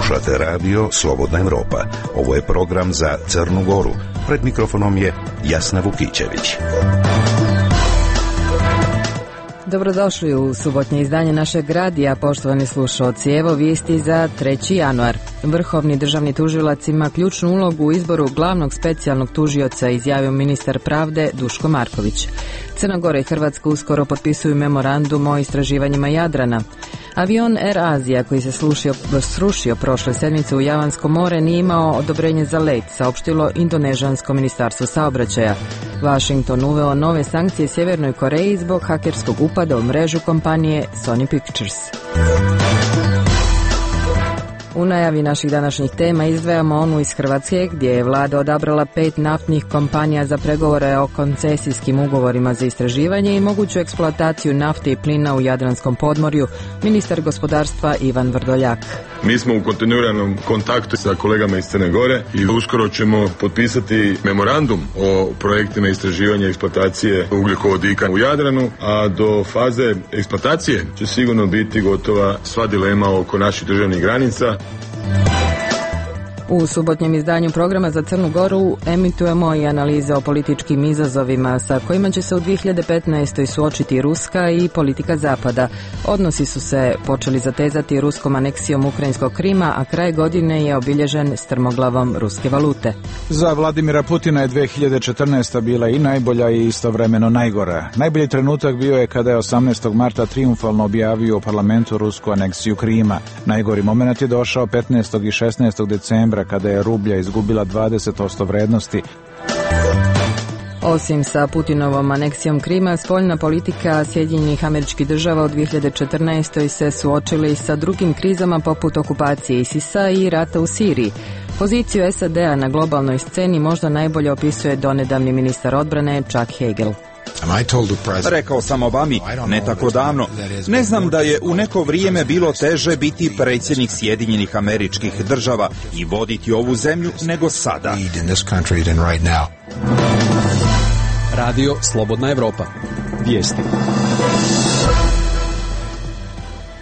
Slušate radio Slobodna Evropa. Ovo je program za Crnu Goru. Pred mikrofonom je Jasna Vukićević. Dobrodošli u subotnje izdanje našeg radija, poštovani slušalci. Evo vijesti za 3. januar. Vrhovni državni tužilac ima ključnu ulogu u izboru glavnog specijalnog tužioca, izjavio ministar pravde Duško Marković. Crna Gora i Hrvatska uskoro potpisuju memorandum o istraživanjima Jadrana. Avion Air Asia koji se srušio prošle sedmice u Javansko more nije imao odobrenje za let, saopštilo Indonežansko ministarstvo saobraćaja. Washington uveo nove sankcije Sjevernoj Koreji zbog hakerskog upada u mrežu kompanije Sony Pictures. U najavi naših današnjih tema izdvajamo onu iz Hrvatske gdje je vlada odabrala 5 naftnih kompanija za pregovore o koncesijskim ugovorima za istraživanje i moguću eksploataciju nafte i plina u Jadranskom podmorju, ministar gospodarstva Ivan Vrdoljak. Mi smo u kontinuiranom kontaktu sa kolegama iz Crne Gore i uskoro ćemo potpisati memorandum o projektima istraživanja i eksploatacije ugljikovodika u Jadranu, a do faze eksploatacije će sigurno biti gotova sva dilema oko naših državnih granica. U subotnjem izdanju programa za Crnu Goru emitujemo i analize o političkim izazovima sa kojima će se u 2015. suočiti Ruska i politika Zapada. Odnosi su se počeli zatezati ruskom aneksijom ukrajinskog Krima, a kraj godine je obilježen strmoglavom ruske valute. Za Vladimira Putina je 2014. bila i najbolja i istovremeno najgora. Najbolji trenutak bio je kada je 18. marta triumfalno objavio u parlamentu rusku aneksiju Krima. Najgori moment je došao 15. i 16. decembra kada je rublja izgubila 20% vrednosti. Osim sa Putinovom aneksijom Krima, spoljna politika Sjedinjenih Američkih Država u 2014. se suočili sa drugim krizama poput okupacije ISIS-a i rata u Siriji. Poziciju SAD-a na globalnoj sceni možda najbolje opisuje donedavni ministar odbrane Chuck Hagel. Rekao sam Obami ne tako davno. Ne znam da je u neko vrijeme bilo teže biti predsjednik Sjedinjenih Američkih Država i voditi ovu zemlju nego sada. Radio Slobodna Evropa. Vijesti.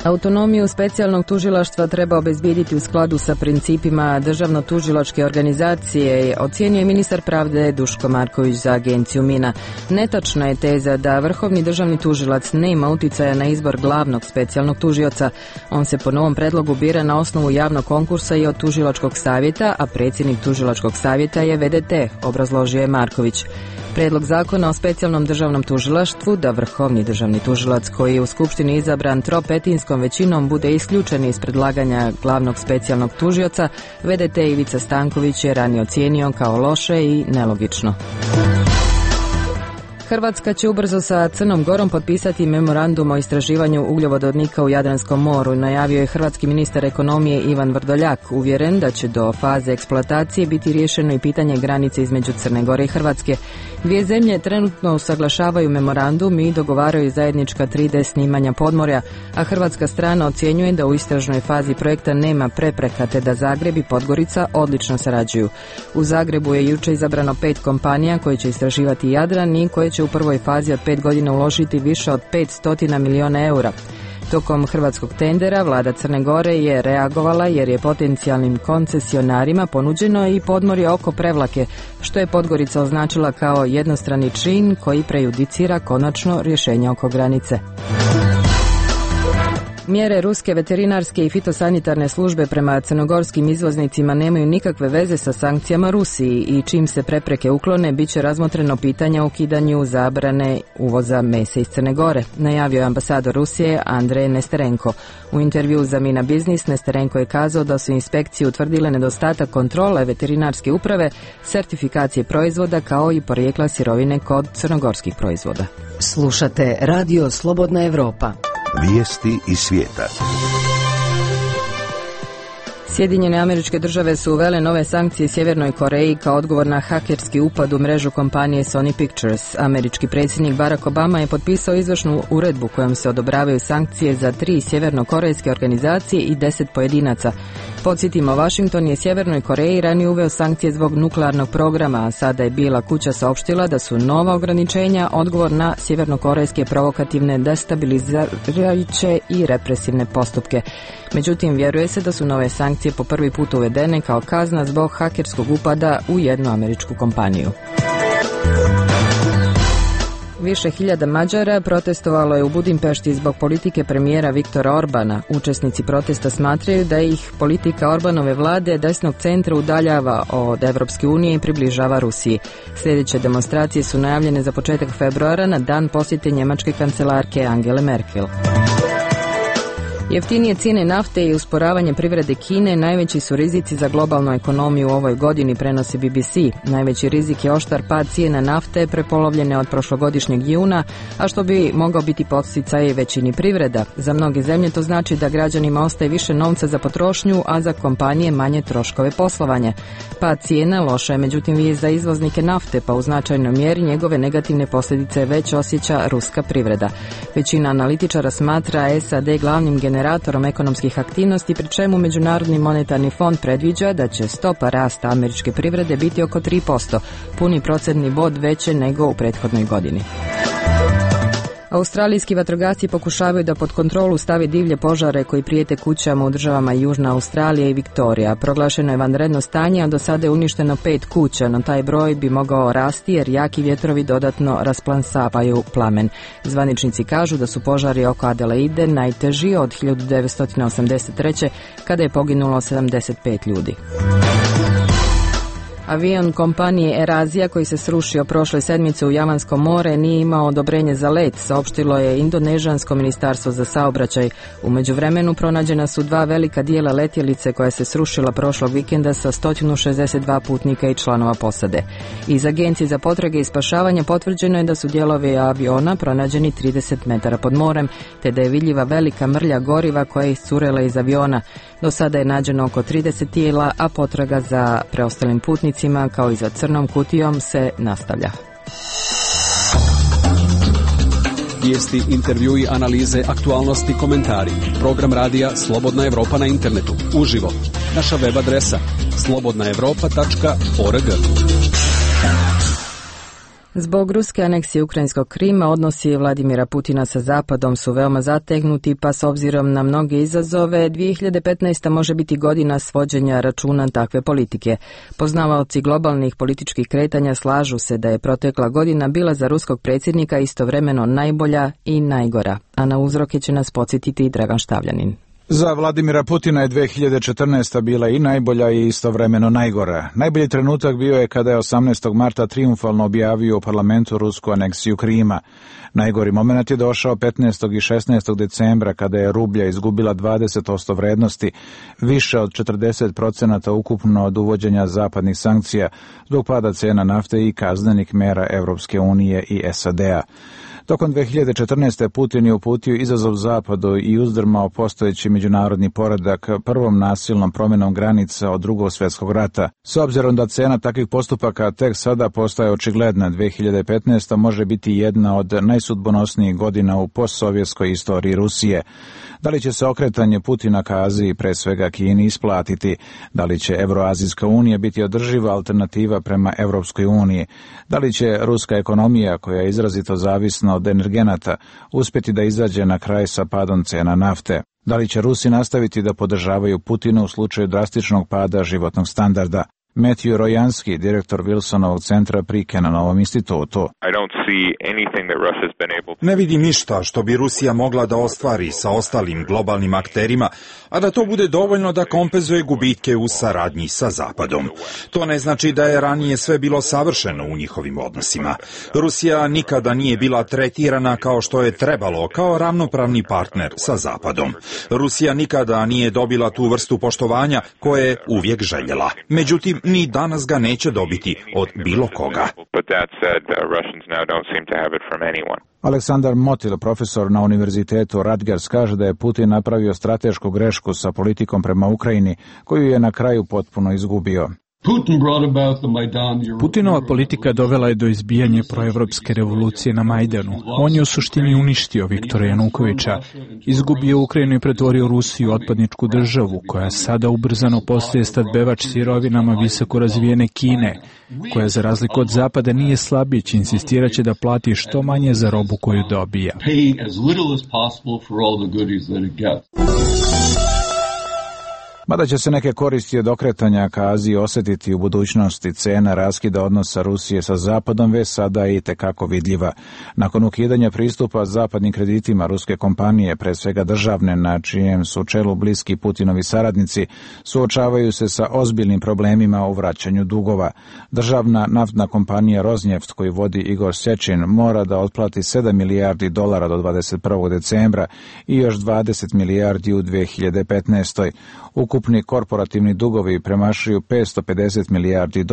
Autonomiju specijalnog tužilaštva treba obezbijediti u skladu sa principima državno-tužilačke organizacije, ocijenio je ministar pravde Duško Marković za agenciju MINA. Netačna je teza da vrhovni državni tužilac nema uticaja na izbor glavnog specijalnog tužioca. On se po novom predlogu bira na osnovu javnog konkursa i od tužilačkog savjeta, a predsjednik tužilačkog savjeta je VDT, obrazložio je Marković. Prijedlog zakona o specijalnom državnom tužilaštvu da vrhovni državni tužilac koji je u skupštini izabran tropetinskom većinom bude isključen iz predlaganja glavnog specijalnog tužioca, VDT Ivica Stanković je ranije ocijenio kao loše i nelogično. Hrvatska će ubrzo sa Crnom Gorom potpisati memorandum o istraživanju ugljovodika u Jadranskom moru, najavio je hrvatski ministar ekonomije Ivan Vrdoljak, uvjeren da će do faze eksploatacije biti riješeno i pitanje granice između Crne Gore i Hrvatske. Dvije zemlje trenutno usaglašavaju memorandum i dogovaraju zajednička 3D snimanja podmorja, a hrvatska strana ocjenjuje da u istražnoj fazi projekta nema prepreka te da Zagreb i Podgorica odlično sarađuju. U Zagrebu je jučer izabrano 5 kompanija koje će istraživati Jadran i koje će u prvoj fazi od 5 godina uložiti više od 500 milijuna eura. Tokom hrvatskog tendera vlada Crne Gore je reagovala jer je potencijalnim koncesionarima ponuđeno i podmorje oko Prevlake, što je Podgorica označila kao jednostrani čin koji prejudicira konačno rješenje oko granice. Mjere ruske veterinarske i fitosanitarne službe prema crnogorskim izvoznicima nemaju nikakve veze sa sankcijama Rusiji i čim se prepreke uklone, bit će razmotreno pitanje o ukidanju zabrane uvoza mesa iz Crne Gore, najavio je ambasador Rusije Andrej Nesterenko. U intervju za Mina Biznis Nesterenko je kazao da su inspekcije utvrdile nedostatak kontrole veterinarske uprave, sertifikacije proizvoda kao i porijekla sirovine kod crnogorskih proizvoda. Slušate Radio Slobodna Evropa. Vijesti iz svijeta. Sjedinjene Američke Države su uvele nove sankcije Sjevernoj Koreji kao odgovor na hakerski upad u mrežu kompanije Sony Pictures. Američki predsjednik Barack Obama je potpisao izvršnu uredbu kojom se odobravaju sankcije za 3 sjevernokorejske organizacije i 10 pojedinaca. Podsjetimo, Washington je Sjevernoj Koreji ranije uveo sankcije zbog nuklearnog programa, a sada je Bijela kuća saopštila da su nova ograničenja odgovor na sjevernokorejske provokativne, destabilizirajuće i represivne postupke. Međutim, vjeruje se da su nove sankcije po prvi put uvedene kao kazna zbog hakerskog upada u jednu američku kompaniju. Više hiljada Mađara protestovalo je u Budimpešti zbog politike premijera Viktora Orbana. Učesnici protesta smatraju da ih politika Orbanove vlade desnog centra udaljava od Evropske unije i približava Rusiji. Sljedeće demonstracije su najavljene za početak februara na dan posjete njemačke kancelarke Angele Merkel. Jeftinije cijene nafte i usporavanje privrede Kine najveći su rizici za globalnu ekonomiju u ovoj godini, prenosi BBC. Najveći rizik je oštar pad cijena nafte prepolovljene od prošlogodišnjeg juna, a što bi mogao biti podsticaj većini privreda. Za mnoge zemlje to znači da građanima ostaje više novca za potrošnju, a za kompanije manje troškove poslovanja. Pad cijena loša je međutim vijest za izvoznike nafte, pa u značajnoj mjeri njegove negativne posljedice već osjeća ruska privreda. Većina analitičara smatra SAD glavnim generatorom ekonomskih aktivnosti, pri čemu Međunarodni monetarni fond predviđa da će stopa rasta američke privrede biti oko 3%, puni procentni bod veće nego u prethodnoj godini. Australijski vatrogasci pokušavaju da pod kontrolu stavi divlje požare koji prijete kućama u državama Južna Australija i Viktorija. Proglašeno je vanredno stanje, a do sada je uništeno 5 kuća, no taj broj bi mogao rasti jer jaki vjetrovi dodatno rasplansavaju plamen. Zvaničnici kažu da su požari oko Adelaide najteži od 1983. kada je poginulo 75 ljudi. Avion kompanije Air-Asia koji se srušio prošle sedmice u Javansko more nije imao odobrenje za let, saopštilo je Indonežansko ministarstvo za saobraćaj. U međuvremenu pronađena su 2 velika dijela letjelice koja se srušila prošlog vikenda sa 162 putnika i članova posade. Iz Agencije za potrage i spašavanje potvrđeno je da su dijelovi aviona pronađeni 30 metara pod morem, te da je vidljiva velika mrlja goriva koja je iscurela iz aviona. Do sada je nađeno oko 30 tijela, a potraga za preostalim putnicima kao i za crnom kutijom se nastavlja. Vijesti, intervjui, analize, aktualnosti, komentari. Program radija Slobodna Evropa na internetu. Uživo. Naša web adresa slobodnaevropa.org. Zbog ruske aneksije ukrajinskog Krima odnosi Vladimira Putina sa Zapadom su veoma zategnuti, pa s obzirom na mnoge izazove 2015. može biti godina svođenja računa takve politike. Poznavaoci globalnih političkih kretanja slažu se da je protekla godina bila za ruskog predsjednika istovremeno najbolja i najgora, a na uzroke će nas podsjetiti i Dragan Štavljanin. Za Vladimira Putina je 2014. bila i najbolja i istovremeno najgora. Najbolji trenutak bio je kada je 18. marta trijumfalno objavio u parlamentu rusku aneksiju Krima. Najgori moment je došao 15. i 16. decembra kada je rublja izgubila 20% vrednosti, više od 40% ukupno od uvođenja zapadnih sankcija zbog pada cena nafte i kaznenih mera Evropske unije i SAD-a. Tokom 2014. Putin je uputio izazov Zapadu i uzdrmao postojeći međunarodni poredak prvom nasilnom promjenom granica od Drugog svjetskog rata. S obzirom da cena takvih postupaka tek sada postaje očigledna, 2015. može biti jedna od najsudbonosnijih godina u postsovjetskoj istoriji Rusije. Da li će se okretanje Putina ka Aziji, pre svega Kini, isplatiti? Da li će Euroazijska unija biti održiva alternativa prema Evropskoj uniji? Da li će ruska ekonomija, koja je izrazito zavisna od energenata, uspjeti da izađe na kraj sa padom cena nafte? Da li će Rusi nastaviti da podržavaju Putina u slučaju drastičnog pada životnog standarda? Matthew Rojanski, direktor Wilsonovog centra pri Kenanovom institutu. Ne vidim ništa što bi Rusija mogla da ostvari sa ostalim globalnim akterima, a da to bude dovoljno da kompenzuje gubitke u saradnji sa Zapadom. To ne znači da je ranije sve bilo savršeno u njihovim odnosima. Rusija nikada nije bila tretirana kao što je trebalo, kao ravnopravni partner sa Zapadom. Rusija nikada nije dobila tu vrstu poštovanja koje je uvijek željela. Međutim, ni danas ga neće dobiti od bilo koga. Aleksandar Motil, profesor na univerzitetu Rutgers, kaže da je Putin napravio stratešku grešku sa politikom prema Ukrajini, koju je na kraju potpuno izgubio. Putinova politika dovela je do izbijanja proevropske revolucije na Majdanu. On je u suštini uništio Viktora Janukovića, izgubio Ukrajinu i pretvorio Rusiju u otpadničku državu, koja sada ubrzano postaje snabdevač sirovinama visoko razvijene Kine, koja za razliku od Zapada nije slabić, insistirat će da plati što manje za robu koju dobija. Mada će se neke koristi od okretanja ka Aziji osjetiti u budućnosti, cena raskida odnosa Rusije sa Zapadom već sada je itekako vidljiva. Nakon ukidanja pristupa zapadnim kreditima ruske kompanije, pre svega državne, na čijem su čelu bliski Putinovi saradnici, suočavaju se sa ozbiljnim problemima u vraćanju dugova. Državna naftna kompanija Rosneft, koju vodi Igor Sechin, mora da otplati $7 milijardi do 21. decembra i još 20 milijardi u 2015. Ukupni korporativni dugovi premašuju $550 milijardi,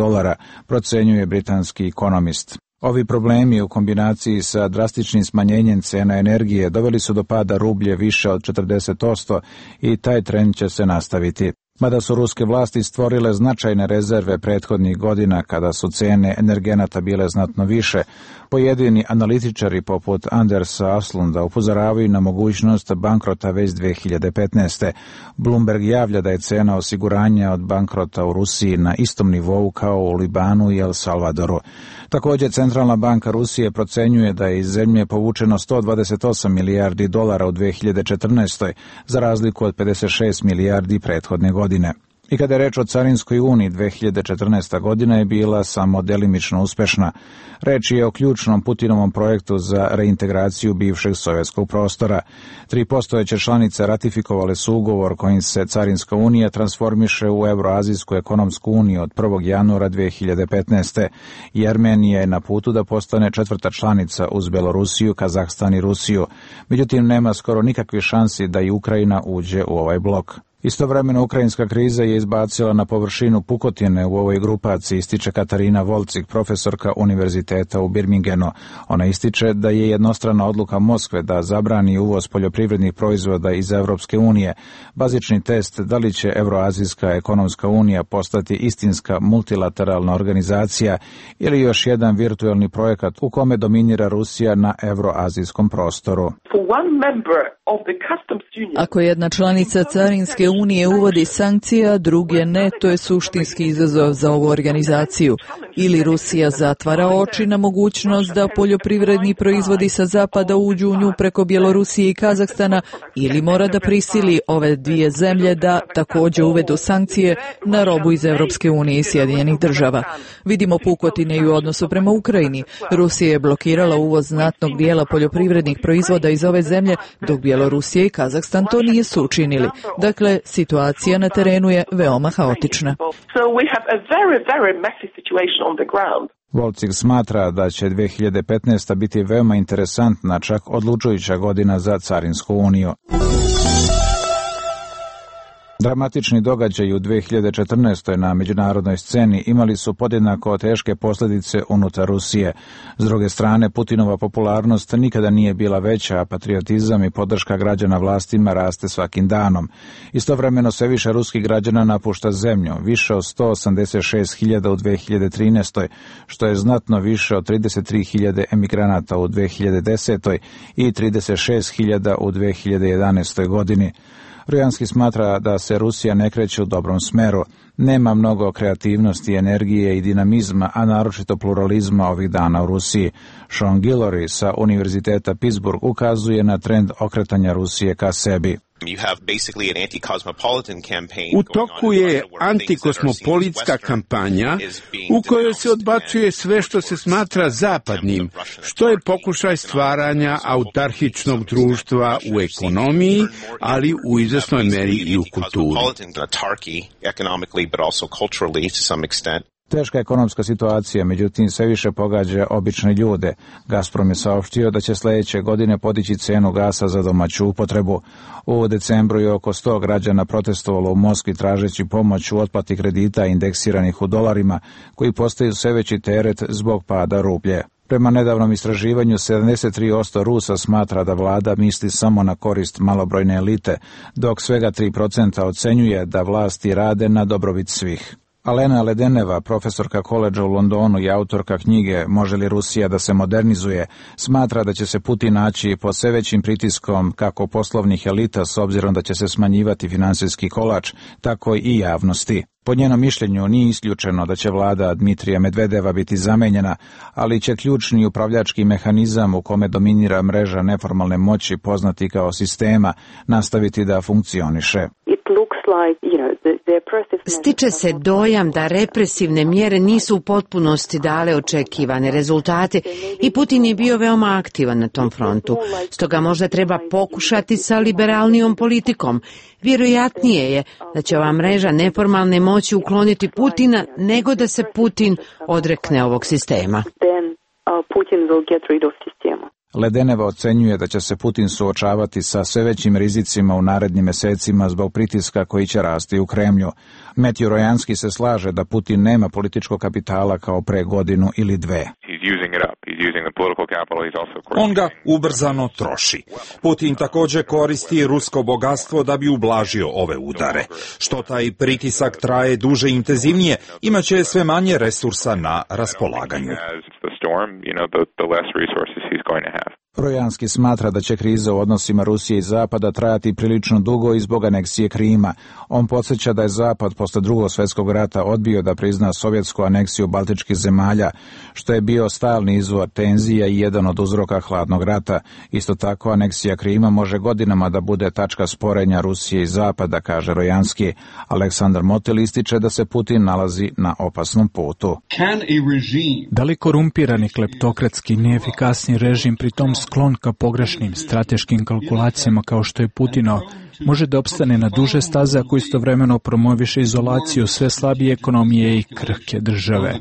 procenjuje britanski ekonomist. Ovi problemi u kombinaciji sa drastičnim smanjenjem cena energije doveli su do pada rublje više od 40% i taj trend će se nastaviti. Mada su ruske vlasti stvorile značajne rezerve prethodnih godina kada su cene energenata bile znatno više, pojedini analitičari poput Andersa Aslunda upozoravaju na mogućnost bankrota već 2015. Bloomberg javlja da je cena osiguranja od bankrota u Rusiji na istom nivou kao u Libanu i El Salvadoru. Također, Centralna banka Rusije procenjuje da je iz zemlje povučeno $128 milijardi u 2014. za razliku od 56 milijardi prethodne godine. I kada je reč o Carinskoj uniji, 2014. godina je bila samo delimično uspešna. Reč je o ključnom Putinovom projektu za reintegraciju bivšeg sovjetskog prostora. 3 postojeće članice ratifikovale su ugovor kojim se Carinska unija transformiše u Euroazijsku ekonomsku uniju od 1. januara 2015. I Armenija je na putu da postane 4. članica uz Belorusiju, Kazahstan i Rusiju. Međutim, nema skoro nikakve šansi da i Ukrajina uđe u ovaj blok. Istovremeno, ukrajinska kriza je izbacila na površinu pukotine u ovoj grupaciji, ističe Katarina Volcik, profesorka univerziteta u Birmingenu. Ona ističe da je jednostrana odluka Moskve da zabrani uvoz poljoprivrednih proizvoda iz Evropske unije bazični test da li će Evroazijska ekonomska unija postati istinska multilateralna organizacija ili još jedan virtuelni projekat u kome dominira Rusija na evroazijskom prostoru. Ako jedna članica Carinske unije uvodi sankcije, a druge ne, to je suštinski izazov za ovu organizaciju. Ili Rusija zatvara oči na mogućnost da poljoprivredni proizvodi sa zapada uđu u nju preko Bjelorusije i Kazahstana, ili mora da prisili ove dvije zemlje da također uvedu sankcije na robu iz Evropske unije i Sjedinjenih država. Vidimo pukotine i u odnosu prema Ukrajini. Rusija je blokirala uvoz znatnog dijela poljoprivrednih proizvoda iz ove zemlje, dok Bjelorusija i Kazahstan to nisu učinili. Dakle, situacija na terenu je veoma haotična. Volcik smatra da će 2015. biti veoma interesantna, čak odlučujuća godina za Carinsku uniju. Dramatični događaji u 2014. na međunarodnoj sceni imali su podjednako teške posljedice unutar Rusije. S druge strane, Putinova popularnost nikada nije bila veća, a patriotizam i podrška građana vlastima raste svakim danom. Istovremeno sve više ruskih građana napušta zemlju, više od 186.000 u 2013. što je znatno više od 33.000 emigranata u 2010. i 36.000 u 2011. godini. Rojanski smatra da se Rusija ne kreće u dobrom smeru. Nema mnogo kreativnosti, energije i dinamizma, a naročito pluralizma ovih dana u Rusiji. Sean Guillory sa Univerziteta Pittsburgh ukazuje na trend okretanja Rusije ka sebi. U toku je antikosmopolitska kampanja u kojoj se odbacuje sve što se smatra zapadnim, što je pokušaj stvaranja autarhičnog društva u ekonomiji, ali u izvesnoj meri i u kulturi. Teška ekonomska situacija, međutim, sve više pogađa obične ljude. Gazprom je saopštio da će sljedeće godine podići cenu gasa za domaću upotrebu. U decembru je oko 100 građana protestovalo u Moskvi tražeći pomoć u otplati kredita indeksiranih u dolarima, koji postaju sve veći teret zbog pada rublje. Prema nedavnom istraživanju, 73% Rusa smatra da vlada misli samo na korist malobrojne elite, dok svega 3% ocenjuje da vlasti rade na dobrobit svih. Alena Ledeneva, profesorka koledža u Londonu i autorka knjige Može li Rusija da se modernizuje, smatra da će se Putin naći pod sve većim pritiskom kako poslovnih elita s obzirom da će se smanjivati finansijski kolač, tako i javnosti. Po njenom mišljenju nije isključeno da će vlada Dmitrija Medvedeva biti zamenjena, ali će ključni upravljački mehanizam u kome dominira mreža neformalne moći poznati kao sistema nastaviti da funkcioniše. Stiče se dojam da represivne mjere nisu u potpunosti dale očekivane rezultate i Putin je bio veoma aktivan na tom frontu. Stoga možda treba pokušati sa liberalnijom politikom. Vjerojatnije je da će ova mreža neformalne moći ukloniti Putina nego da se Putin odrekne ovog sistema. Ledeneva ocenjuje da će se Putin suočavati sa sve većim rizicima u narednim mjesecima zbog pritiska koji će rasti u Kremlju. Metju Rojanski se slaže da Putin nema političkog kapitala kao pre godinu ili dve. On ga ubrzano troši. Putin također koristi rusko bogatstvo da bi ublažio ove udare. Što taj pritisak traje duže i intenzivnije, imat će sve manje resursa na raspolaganju. Rojanski smatra da će kriza u odnosima Rusije i Zapada trajati prilično dugo i zbog aneksije Krima. On podsjeća da je Zapad posle Drugog svjetskog rata odbio da prizna sovjetsku aneksiju baltičkih zemalja, što je bio stalni izvor tenzija i jedan od uzroka hladnog rata. Isto tako, aneksija Krima može godinama da bude tačka sporenja Rusije i Zapada, kaže Rojanski. Aleksandar Motel ističe da se Putin nalazi na opasnom putu. Da li korumpirani kleptokratski neefikasni režim, pritom sklon ka pogrešnim strateškim kalkulacijama kao što je Putinov, može da opstane na duže staze ako istovremeno promoviše izolaciju sve slabije ekonomije i krhke države?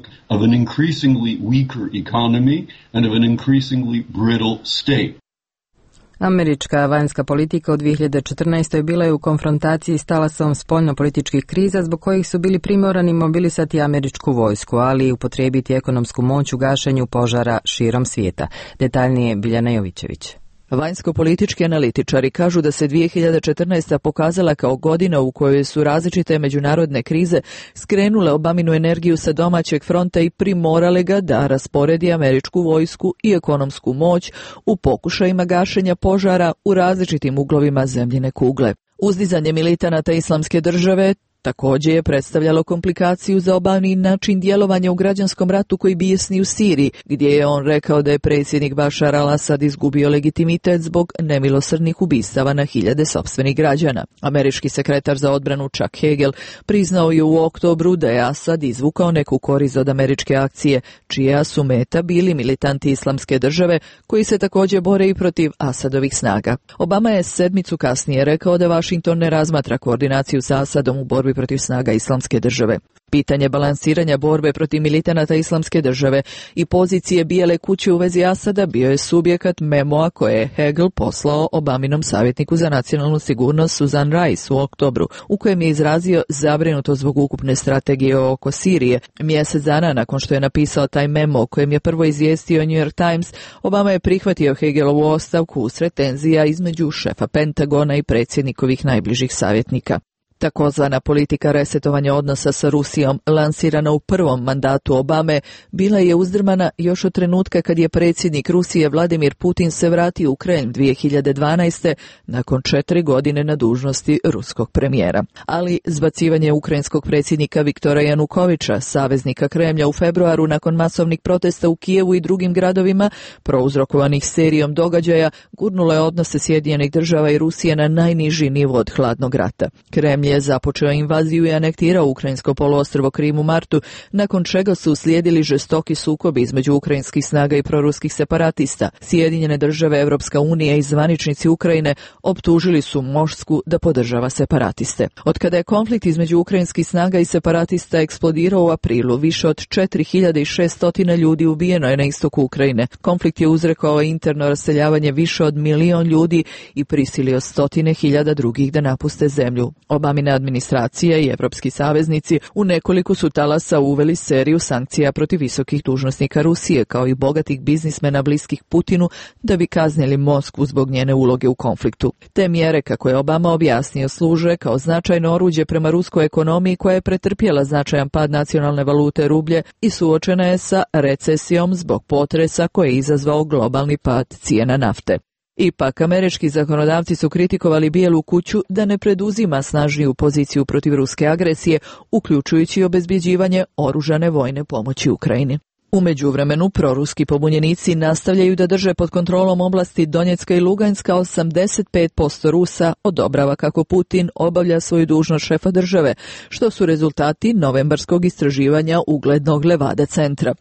Američka vanjska politika u 2014. bila je u konfrontaciji s talasom spoljnopolitičkih kriza zbog kojih su bili primorani mobilisati američku vojsku, ali i upotrijebiti ekonomsku moć u gašenju požara širom svijeta. Detaljnije Biljana Jovićević. Vanjsko-politički analitičari kažu da se 2014. pokazala kao godina u kojoj su različite međunarodne krize skrenule Obaminu energiju sa domaćeg fronta i primorale ga da rasporedi američku vojsku i ekonomsku moć u pokušajima gašenja požara u različitim uglovima zemljine kugle. Uzdizanje militanata Islamske države također je predstavljalo komplikaciju za Obamin način djelovanja u građanskom ratu koji bijesni u Siriji, gdje je on rekao da je predsjednik Bašar al-Asad izgubio legitimitet zbog nemilosrdnih ubistava na hiljade sopstvenih građana. Američki sekretar za odbranu Chuck Hagel priznao je u oktobru da je Asad izvukao neku korist od američke akcije, čija su meta bili militanti Islamske države koji se također bore i protiv Asadovih snaga. Obama je sedmicu kasnije rekao da Washington ne razmatra koordinaciju sa Asadom u borbi protiv snaga Islamske države. Pitanje balansiranja borbe protiv militanata Islamske države i pozicije Bijele kuće u vezi Asada bio je subjekat memoa koje je Hagel poslao Obaminom savjetniku za nacionalnu sigurnost Susan Rice u oktobru, u kojem je izrazio zabrinutost zbog ukupne strategije oko Sirije. Mjesec dana nakon što je napisao taj memo o kojem je prvo izvijestio New York Times, Obama je prihvatio Hagelovu ostavku usred tenzija između šefa Pentagona i predsjednikovih najbližih savjetnika. Takozvana politika resetovanja odnosa sa Rusijom, lansirana u prvom mandatu Obame, bila je uzdrmana još od trenutka kad je predsjednik Rusije Vladimir Putin se vratio u Kremlj 2012. nakon 4 godine na dužnosti ruskog premijera. Ali zbacivanje ukrajinskog predsjednika Viktora Janukovića, saveznika Kremlja, u februaru nakon masovnih protesta u Kijevu i drugim gradovima, prouzrokovanih serijom događaja, gurnulo je odnose Sjedinjenih država i Rusije na najniži nivo od hladnog rata. Kremlj je započeo invaziju i anektirao ukrajinsko poluostrvo Krim u martu, nakon čega su uslijedili žestoki sukobi između ukrajinskih snaga i proruskih separatista. Sjedinjene države, Europska unija i zvaničnici Ukrajine optužili su Moskvu da podržava separatiste. Od kada je konflikt između ukrajinskih snaga i separatista eksplodirao u aprilu, više od 4600 ljudi ubijeno je na istoku Ukrajine. Konflikt je uzrokovao interno raseljavanje više od 1 milion ljudi i prisilio 100.000 drugih da napuste zemlju. Obamin Obamine administracije i evropski saveznici u nekoliko su talasa uveli seriju sankcija protiv visokih dužnosnika Rusije, kao i bogatih biznismena bliskih Putinu, da bi kaznili Moskvu zbog njene uloge u konfliktu. Te mjere, kako je Obama objasnio, služe kao značajno oruđe prema ruskoj ekonomiji koja je pretrpjela značajan pad nacionalne valute rublje i suočena je sa recesijom zbog potresa koji je izazvao globalni pad cijena nafte. Ipak, američki zakonodavci su kritikovali Bijelu kuću da ne preduzima snažniju poziciju protiv ruske agresije, uključujući obezbjeđivanje oružane vojne pomoći Ukrajini. U međuvremenu, proruski pobunjenici nastavljaju da drže pod kontrolom oblasti Donjecka i Luganska. 85% Rusa odobrava kako Putin obavlja svoju dužnost šefa države, što su rezultati novembarskog istraživanja uglednog Levada centra.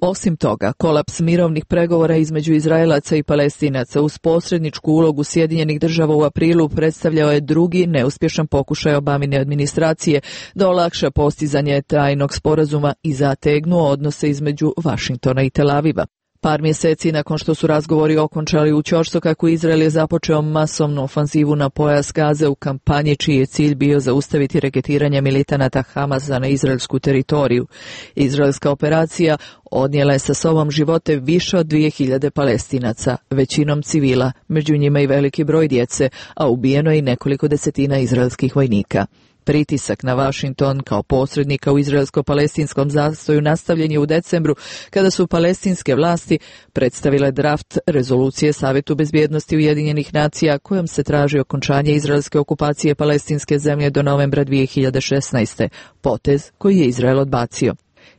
Osim toga, kolaps mirovnih pregovora između Izraelaca i Palestinaca uz posredničku ulogu Sjedinjenih država u aprilu predstavljao je drugi neuspješan pokušaj Obamine administracije da olakša postizanje trajnog sporazuma i zategnuo odnose između Vašingtona i Tel Aviva. Par mjeseci nakon što su razgovori okončali u ćoštu, kako Izrael je započeo masovnu ofanzivu na pojas Gaze u kampanji čiji je cilj bio zaustaviti reketiranje militanata Hamasa na izraelsku teritoriju. Izraelska operacija odnijela je sa sobom živote više od 2000 Palestinaca, većinom civila, među njima i veliki broj djece, a ubijeno je i nekoliko desetina izraelskih vojnika. Pritisak na Washington kao posrednika u izraelsko-palestinskom zastoju nastavljen je u decembru, kada su palestinske vlasti predstavile draft rezolucije Savjetu bezbjednosti Ujedinjenih nacija kojom se traži okončanje izraelske okupacije palestinske zemlje do novembra 2016. potez koji je Izrael odbacio.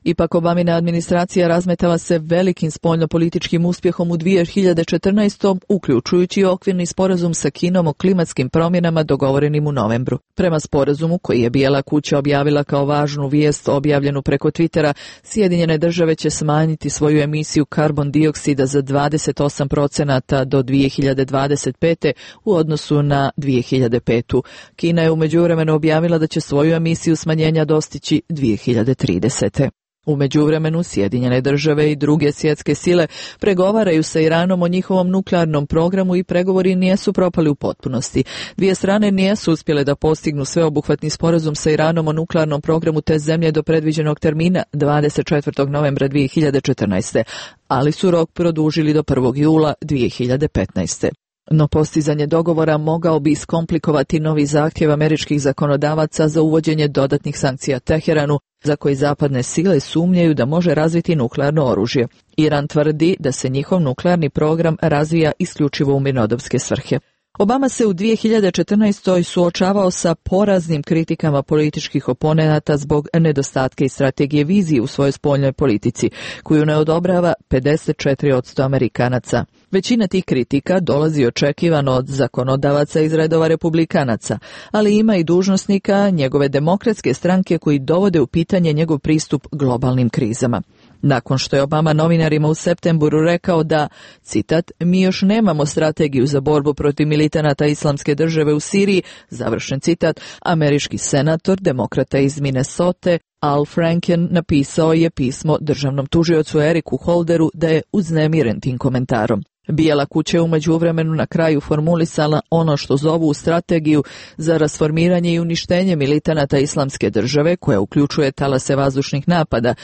Ipak Obamina administracija razmetala se velikim spoljnopolitičkim uspjehom u 2014. uključujući okvirni sporazum sa Kinom o klimatskim promjenama dogovorenim u novembru. Prema sporazumu koji je Bijela kuća objavila kao važnu vijest objavljenu preko Twittera, Sjedinjene države će smanjiti svoju emisiju karbon dioksida za 28% do 2025. u odnosu na 2005. Kina je u međuvremenu objavila da će svoju emisiju smanjenja dostići 2030. U međuvremenu Sjedinjene države i druge svjetske sile pregovaraju sa Iranom o njihovom nuklearnom programu i pregovori nisu propali u potpunosti. Dvije strane nisu uspjele da postignu sveobuhvatni sporazum sa Iranom o nuklearnom programu te zemlje do predviđenog termina 24. novembra 2014. ali su rok produžili do 1. jula 2015. No postizanje dogovora mogao bi iskomplikovati novi zahtjev američkih zakonodavaca za uvođenje dodatnih sankcija Teheranu, za koji zapadne sile sumnjaju da može razviti nuklearno oružje. Iran tvrdi da se njihov nuklearni program razvija isključivo u mirnodopske svrhe. Obama se u 2014. suočavao sa poraznim kritikama političkih oponenata zbog nedostatka i strategije vizije u svojoj spoljnoj politici, koju ne odobrava 54% Amerikanaca. Većina tih kritika dolazi očekivano od zakonodavaca iz redova republikanaca, ali ima i dužnosnika njegove demokratske stranke koji dovode u pitanje njegov pristup globalnim krizama. Nakon što je Obama novinarima u septembru rekao da, citat, mi još nemamo strategiju za borbu protiv militanata Islamske države u Siriji, završen citat, američki senator, demokrata iz Minnesote, Al Franken napisao je pismo državnom tužiocu Eriku Holderu da je uznemiren tim komentarom. Bijela kuća je u međuvremenu na kraju formulisala ono što zovu strategiju za rasformiranje i uništenje militanata Islamske države, koja uključuje talase vazdušnih napada,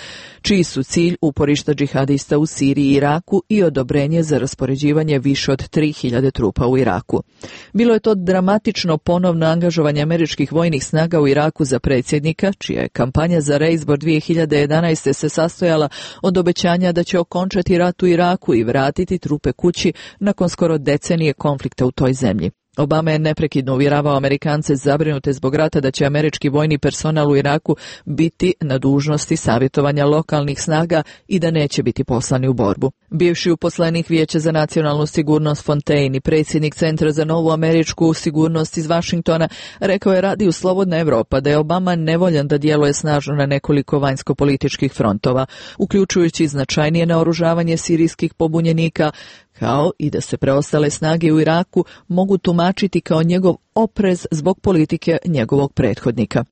čiji su cilj uporišta džihadista u Siriji i Iraku i odobrenje za raspoređivanje više od 3000 trupa u Iraku. Bilo je to dramatično ponovno angažovanje američkih vojnih snaga u Iraku za predsjednika, čija je kampanja za reizbor 2011. se sastojala od obećanja da će okončati rat u Iraku i vratiti trupe kući nakon skoro decenije konflikta u toj zemlji. Obama je neprekidno uvjeravao Amerikance zabrinute zbog rata da će američki vojni personal u Iraku biti na dužnosti savjetovanja lokalnih snaga i da neće biti poslani u borbu. Bivši uposlenik Vijeća za nacionalnu sigurnost Fontaine i predsjednik Centra za novu američku sigurnost iz Vašingtona rekao je radiju Slobodna Evropa da je Obama nevoljan da djeluje snažno na nekoliko vanjsko-političkih frontova, uključujući značajnije naoružavanje sirijskih pobunjenika, kao i da se preostale snage u Iraku mogu tumačiti kao njegov oprez zbog politike njegovog prethodnika.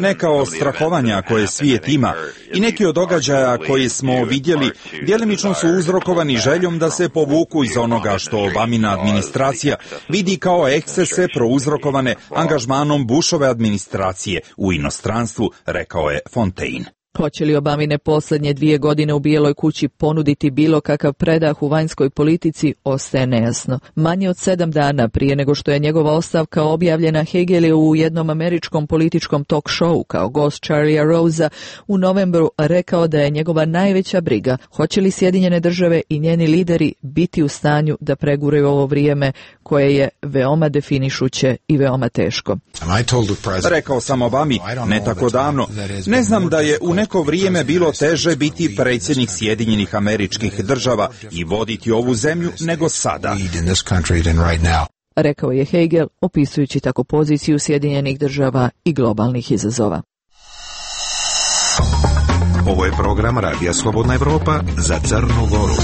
Neka od strahovanja koje svijet ima i neki od događaja koje smo vidjeli djelimično su uzrokovani željom da se povuku iz onoga što Obamina administracija vidi kao ekscese prouzrokovane angažmanom Bushove administracije u inostranstvu, rekao je Fontaine. Hoće li Obamine posljednje 2 godine u Bijeloj kući ponuditi bilo kakav predah u vanjskoj politici, ostaje nejasno. Manje od 7 dana prije nego što je njegova ostavka objavljena, Hagel je u jednom američkom političkom talk showu kao gost Charlie'a Rosea u novembru rekao da je njegova najveća briga hoće li Sjedinjene države i njeni lideri biti u stanju da preguraju ovo vrijeme koje je veoma definišuće i veoma teško. Rekao sam Obami ne tako davno, ne znam da je u neko vrijeme bilo teže biti predsjednik Sjedinjenih Američkih Država i voditi ovu zemlju nego sada. Rekao je Hagel, opisujući tako poziciju Sjedinjenih Država i globalnih izazova. Ovo je program Radija Slobodna Evropa za Crnu Goru.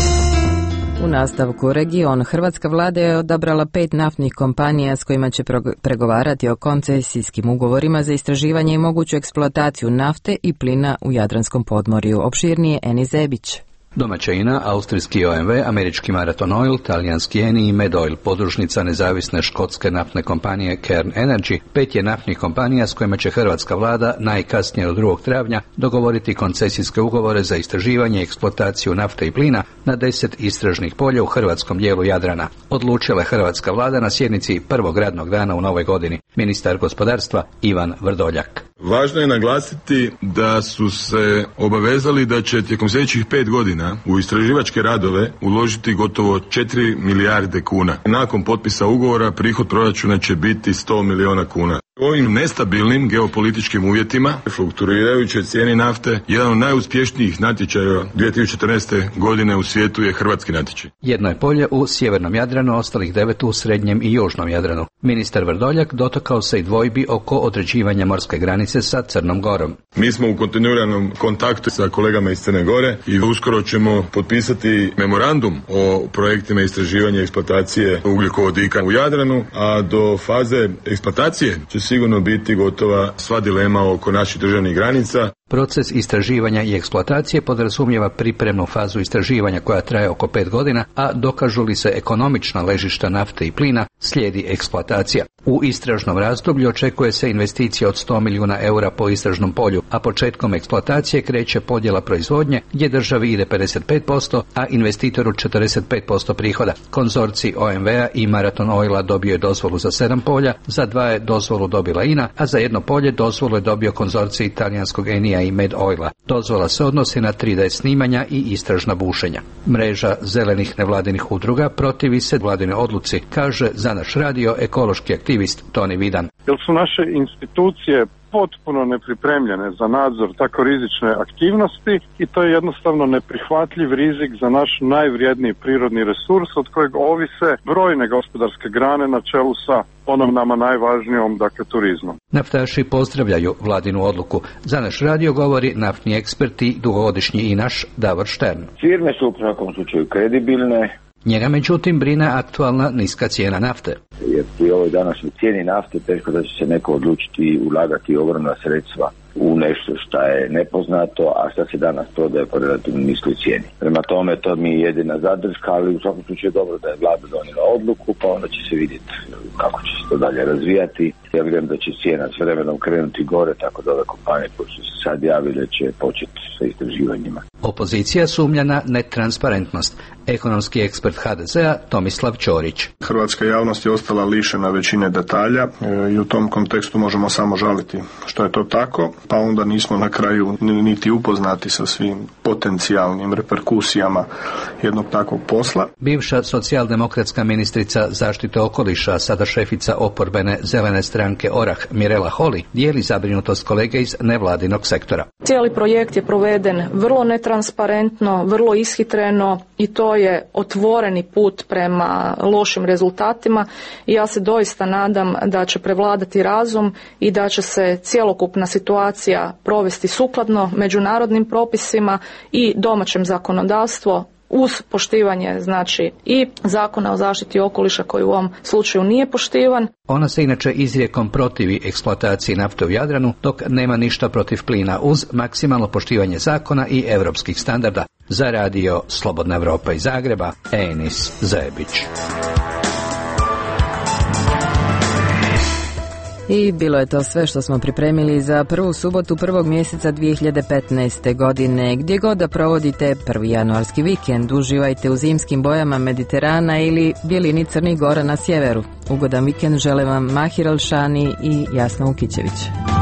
U nastavku region, hrvatska vlada je odabrala 5 naftnih kompanija s kojima će pregovarati o koncesijskim ugovorima za istraživanje i moguću eksploataciju nafte i plina u Jadranskom podmorju. Opširnije Eni Zebić. Domaća INA, austrijski OMV, američki Marathon Oil, talijanski Eni i Medoil, podružnica nezavisne škotske naftne kompanije Cairn Energy, 5 je naftnih kompanija s kojima će hrvatska vlada najkasnije od 2. travnja dogovoriti koncesijske ugovore za istraživanje i eksploataciju nafte i plina na 10 istražnih polja u hrvatskom dijelu Jadrana. Odlučila je hrvatska vlada na sjednici prvog radnog dana u novoj godini. Ministar gospodarstva Ivan Vrdoljak. Važno je naglasiti da su se obavezali da će tijekom sljedećih 5 godina u istraživačke radove uložiti gotovo 4 milijarde kuna. Nakon potpisa ugovora prihod proračuna će biti 100 milijuna kuna. U ovim nestabilnim geopolitičkim uvjetima, fluktuirajućoj cijeni nafte, jedan od najuspješnijih natječaja 2014. godine u svijetu je hrvatski natječaj. Jedno je polje u sjevernom Jadranu, ostalih 9 u srednjem i južnom Jadranu. Ministar Vrdoljak dotakao se i dvojbi oko određivanja morske granice sa Crnom Gorom. Mi smo u kontinuiranom kontaktu sa kolegama iz Crne Gore i uskoro ćemo potpisati memorandum o projektima istraživanja i eksploatacije ugljikovodika u Jadranu, a do faze eksploatacije će sigurno biti gotova sva dilema oko naših državnih granica. Proces istraživanja i eksploatacije podrazumijeva pripremnu fazu istraživanja koja traje oko 5 godina, a dokažu li se ekonomična ležišta nafte i plina, slijedi eksploatacija. U istražnom razdoblju očekuje se investicija od 100 milijuna eura po istražnom polju, a početkom eksploatacije kreće podjela proizvodnje gdje državi ide 55%, a investitoru 45% prihoda. Konzorcij OMV-a i Marathon Oila dobio je dozvolu za 7 polja, za 2 je dozvolu dobila INA, a za jedno polje dozvolu je dobio konzorcij talijanskog Enija i Medoila. Dozvola se odnosi na 3D snimanja i istražna bušenja. Mreža zelenih nevladinih udruga protivi se vladine odluci, kaže za naš radio ekološki aktivist Toni Vidan. Jer su naše institucije potpuno nepripremljene za nadzor tako rizične aktivnosti i to je jednostavno neprihvatljiv rizik za naš najvrijedniji prirodni resurs od kojeg ovise brojne gospodarske grane na čelu sa onom nama najvažnijom, dakle turizmom. Naftaši pozdravljaju vladinu odluku. Za naš radio govori naftni ekspert i dugogodišnji inaš Davor Štern. Firme su u svakom slučaju kredibilne. Njega međutim brine aktualna niska cijena nafte. Jer pri ovoj današnjoj cijeni nafte teško da će se neko odlučiti ulagati ogromna sredstva u nešto što je nepoznato, a što se danas prodaje po relativno niskoj cijeni. Prema tome, to mi je jedina zadrška, ali u svakom slučaju je dobro da je vlada donijela odluku, pa onda će se vidjeti kako će se to dalje razvijati. Ja vjerujem da će cijena s vremenom krenuti gore, tako da ove kompanije koje su se sad javile će početi sa istraživanjima. Opozicija sumnja na netransparentnost. Ekonomski ekspert HDZ-a Tomislav Ćorić. Hrvatska javnost je ostala lišena većine detalja i u tom kontekstu možemo samo žaliti što je to tako, pa onda nismo na kraju niti upoznati sa svim potencijalnim reperkusijama jednog takvog posla. Bivša socijaldemokratska ministrica zaštite okoliša, sada šefica oporbene zelene stranke Orah, Mirela Holy, dijeli zabrinutost kolege iz nevladinog sektora. Cijeli projekt je proveden vrlo netransparentno, vrlo ishitreno i to je otvoreni put prema lošim rezultatima i ja se doista nadam da će prevladati razum i da će se cjelokupna situacija provesti sukladno međunarodnim propisima i domaćem zakonodavstvu uz poštivanje znači i Zakona o zaštiti okoliša koji u ovom slučaju nije poštivan. Ona se inače izrijekom protivi eksploataciji nafte u Jadranu, dok nema ništa protiv plina uz maksimalno poštivanje zakona i europskih standarda. Za radio Slobodna Evropa iz Zagreba, Enis Zajebić. I bilo je to sve što smo pripremili za prvu subotu prvog mjeseca 2015. godine. Gdje god da provodite prvi januarski vikend, uživajte u zimskim bojama Mediterana ili bjelini Crnih Gora na sjeveru. Ugodan vikend žele vam Mahir Alšani i Jasna Ukićević.